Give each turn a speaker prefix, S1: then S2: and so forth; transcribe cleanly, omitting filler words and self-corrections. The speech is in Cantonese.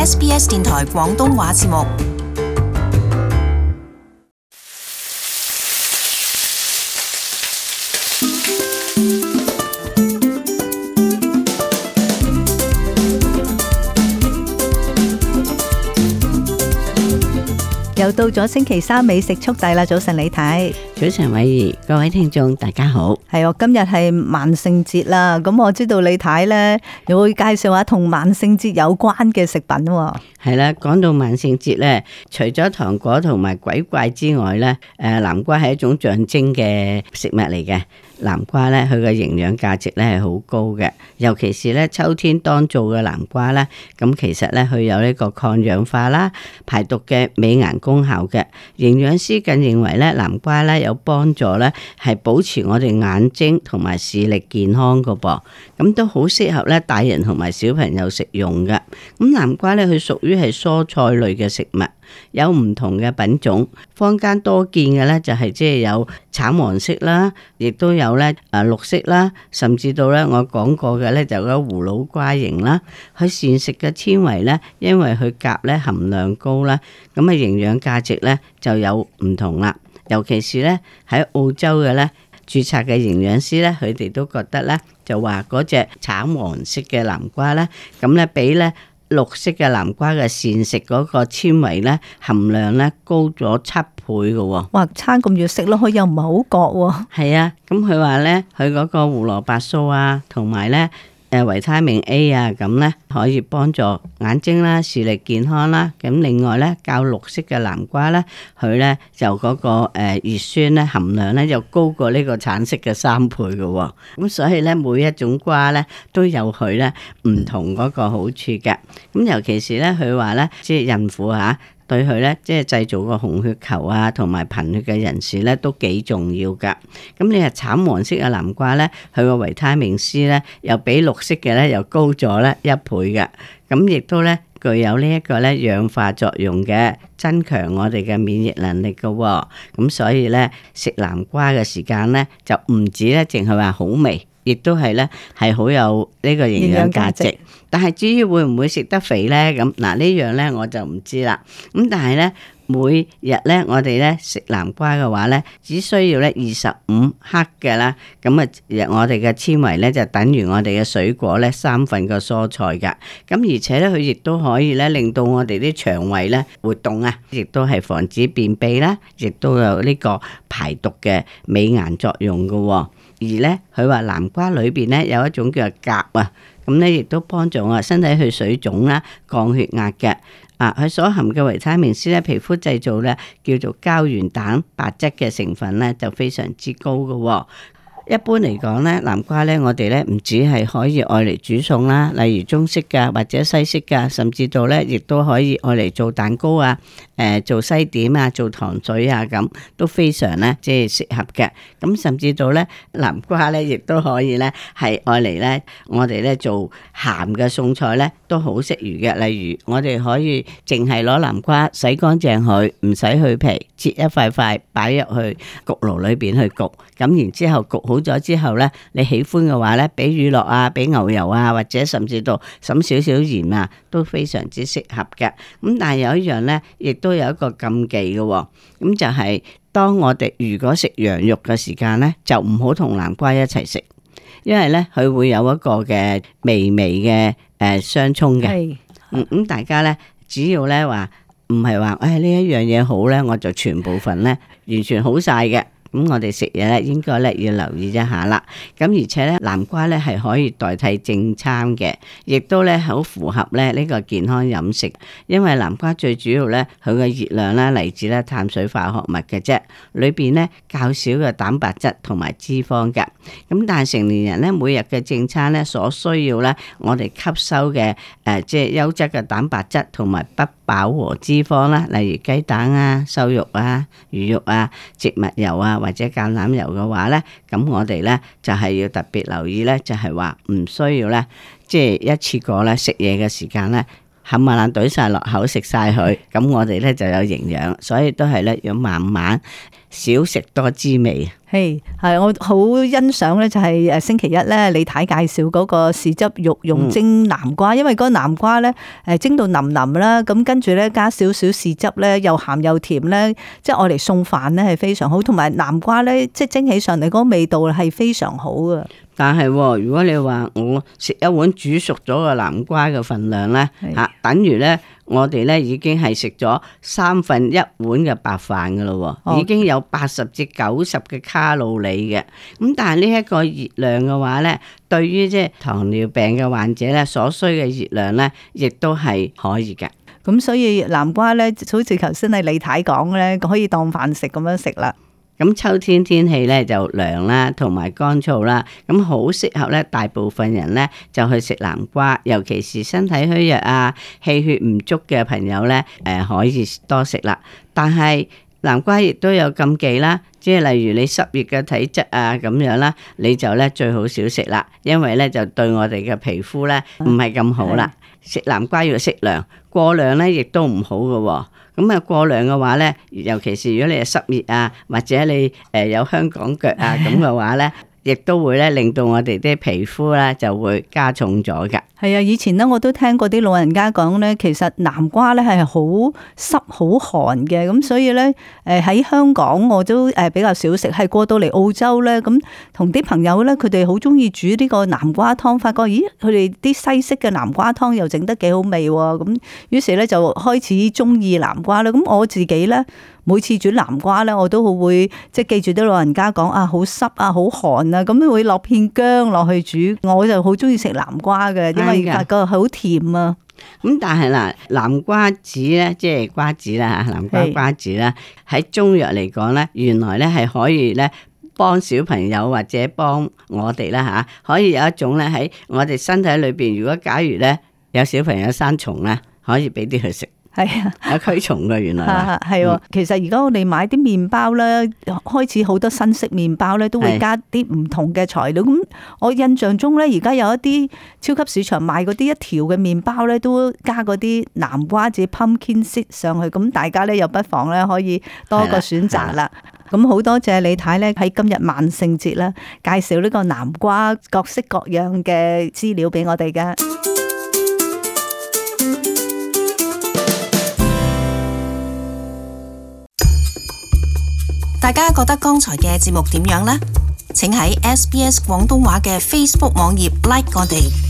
S1: SBS 電台廣東話節目。
S2: 又到咗星期三美食速遞啦！早晨李太，
S3: 早晨偉儀，各位聽眾大家好。
S2: 係我今日係萬聖節啦，咁我知道李太呢又會介紹下同萬聖節有關嘅食品。
S3: 係啦，講到萬聖節咧，除咗糖果同埋鬼怪之外咧，南瓜係一種象徵嘅食物嚟嘅。南瓜咧，佢嘅營養價值咧係好高嘅，尤其是咧秋天當造嘅南瓜咧，咁其實咧佢有呢個抗氧化啦、排毒嘅美顏功效嘅。營養師更認為咧，南瓜咧有幫助咧係保持我哋眼睛同埋視力健康噶噃，咁都好適合咧大人同埋小朋友食用嘅。咁南瓜咧，佢屬於係蔬菜類嘅食物。有唔同嘅品種，坊間多見嘅咧就係即係有橙黃色啦，亦都有咧綠色啦，甚至到咧我講過嘅咧就有葫蘆瓜型啦。佢膳食嘅纖維咧，因為佢鉀咧含量高啦，咁啊營養價值咧就有唔同啦。尤其是咧喺澳洲嘅咧註冊嘅營養師咧，佢哋都覺得咧就話嗰隻橙黃色嘅南瓜咧，咁咧比咧綠色嘅南瓜嘅膳食嗰個纖維咧含量咧高咗7倍嘅喎。
S2: 哇，差咁遠食落去又唔係好覺喎。
S3: 係啊，咁佢話咧，佢嗰個胡蘿蔔素啊，同埋咧維他命 A 啊，咁咧可以幫助眼睛啦、視力健康啦。咁另外咧，較綠色嘅南瓜咧，佢咧就嗰個葉酸咧含量咧就高過呢個橙色嘅3倍嘅喎。咁所以咧，每一種瓜咧都有佢咧唔同嗰個好處嘅。咁尤其是咧，佢話咧，即係孕婦嚇。對佢咧，即係製造個紅血球啊，同埋貧血嘅人士咧，都幾重要噶。咁你係橙黃色嘅南瓜咧，佢個維他命 C 咧，又比綠色嘅咧又高咗咧1倍嘅。咁亦都咧具有呢一個咧氧化作用嘅，增強我哋嘅免疫能力噶。咁所以咧食南瓜嘅時間咧，就唔止咧淨係話好味。亦都係咧，係好有呢個營養價值。但係至於會唔會食得肥咧？咁嗱呢樣咧我就唔知啦。咁但係咧每日咧我哋咧食南瓜嘅話咧，只需要咧25克嘅啦。咁啊，我哋嘅纖維咧就等於我哋嘅水果咧3份嘅蔬菜噶。咁而且咧佢亦都可以咧令到我哋啲腸胃咧活動啊，亦都係防止便秘啦，亦都有呢個排毒嘅美顏作用噶。而咧，佢話南瓜裏邊咧有一種叫做鉀啊，咁咧亦都幫助我身體去水腫啦、降血壓嘅。佢所含嘅維他命 C 咧，皮膚製造咧叫做膠原蛋白質嘅成分咧就非常之高嘅。一般嚟講咧，南瓜咧我哋咧唔止係可以愛嚟煮餸啦，例如中式㗎或者西式㗎，甚至到咧亦都可以愛嚟做蛋糕啊、做西點啊、做糖水啊，咁都非常咧即係適合嘅。咁甚至到咧南瓜咧亦都可以咧係愛嚟咧我哋咧做鹹嘅餸菜咧都好適宜嘅。例如我哋可以淨係攞南瓜洗乾淨佢，唔使去皮，切一塊塊擺入去焗爐裏邊去焗，咁然之後焗好咗之後咧，你喜歡嘅話咧，俾乳酪啊，俾牛油啊，或者甚至到滲少少鹽啊，都非常之適合嘅。咁但係有一樣咧，亦都有一個禁忌嘅，咁就係當我哋如果食羊肉嘅時間咧，就唔好同南瓜一齊食，因為咧佢會有一個嘅微微嘅相衝嘅。咁大家咧只要咧話唔係話呢一樣嘢好咧，我就全部份咧完全好晒嘅。咁我哋食嘢咧，應該咧要留意一下啦。咁而且咧，南瓜咧係可以代替正餐嘅，亦都咧好符合咧呢個健康飲食。因為南瓜最主要咧，佢嘅熱量咧嚟自咧碳水化合物嘅啫，裏邊咧較少嘅蛋白質同埋脂肪嘅。咁但係成年人咧每日嘅正餐咧所需要咧，我哋吸收嘅即係優質嘅蛋白質同埋不飽和脂肪啦，例如雞蛋啊、瘦肉啊、魚肉啊、植物油啊，或者橄欖油嘅話咧，咁我哋咧就係要特別留意咧，就係話唔需要咧，即係一次過咧食嘢嘅時間咧，冚唪唥懟晒落口食晒佢，咁我哋咧就有營養，所以都係咧要慢慢少食多滋味。
S2: 係我好欣賞咧，就係星期一咧，李太介紹嗰個豉汁肉蓉蒸南瓜，因為嗰個南瓜咧蒸到腍腍啦，咁跟住咧加少少豉汁咧，又鹹又甜咧，即係愛嚟送飯咧係非常好，同埋南瓜咧即係蒸起上嚟嗰個味道係非常好嘅。
S3: 但係如果你話我食一碗煮熟咗嘅南瓜嘅份量咧，等於咧我哋咧已經係食咗1/3碗嘅白飯噶咯，已經有80至90嘅卡路里嘅。咁但係呢一個熱量嘅話咧，對於即係糖尿病嘅患者咧所需嘅熱量咧，亦都係可以嘅。
S2: 咁所以南瓜咧，好似頭先係李太講咧，可以當飯食咁樣食啦。
S3: 咁秋天天氣咧就涼啦，同埋乾燥啦，咁好適合咧大部分人咧就去食南瓜，尤其是身體虛弱啊、氣血唔足嘅朋友咧，可以多食啦。但係南瓜亦都有禁忌啦，即係例如你濕熱嘅體質啊咁樣啦，你就咧最好少食啦，因為咧就對我哋嘅皮膚咧唔係咁好啦。食南瓜要適量，過量咧亦都唔好嘅。咁啊過量嘅話咧，尤其是如果你係濕熱啊，或者你有香港腳啊咁嘅話咧，亦都會咧令到我哋啲皮膚咧就會加重咗㗎。
S2: 係啊，以前咧我都聽過啲老人家講咧，其實南瓜咧係好濕好寒嘅，咁所以咧喺香港我都比較少食，係過到嚟澳洲咧，咁同啲朋友咧佢哋好中意煮呢個南瓜湯，發覺咦佢哋啲西式嘅南瓜湯又整得幾好味喎，咁於是咧就開始中意南瓜啦。咁我自己咧每次煮南瓜咧，我都好會即係記住啲老人家講啊，好濕啊，好寒啊，咁會落片薑落去煮，我就好中意食南瓜嘅，因為發覺好甜啊。
S3: 咁但係嗱，南瓜子咧，即係瓜子啦吓，南瓜瓜子啦，喺中藥嚟講咧，原來咧係可以咧幫小朋友或者幫我哋啦吓，可以有一種咧喺我哋身體裏邊，如果假如咧有小朋友生蟲咧，可以俾啲佢食。係啊，有驅蟲嘅原來
S2: 係。其實而家我哋買啲麵包咧，開始好多新式麵包咧，都會加啲唔同嘅材料。咁我印象中咧，而家有一啲超級市場賣嗰啲一條嘅麵包咧，都加嗰啲南瓜子 pumpkin seed 上去。咁大家咧又不妨咧可以多個選擇啦。咁好多謝李太咧喺今日萬聖節啦，介紹呢個南瓜各式各樣嘅資料俾我哋㗎。
S1: 大家覺得剛才嘅節目點樣呢？請喺SBS 廣東話嘅 Facebook 網頁 like 我哋。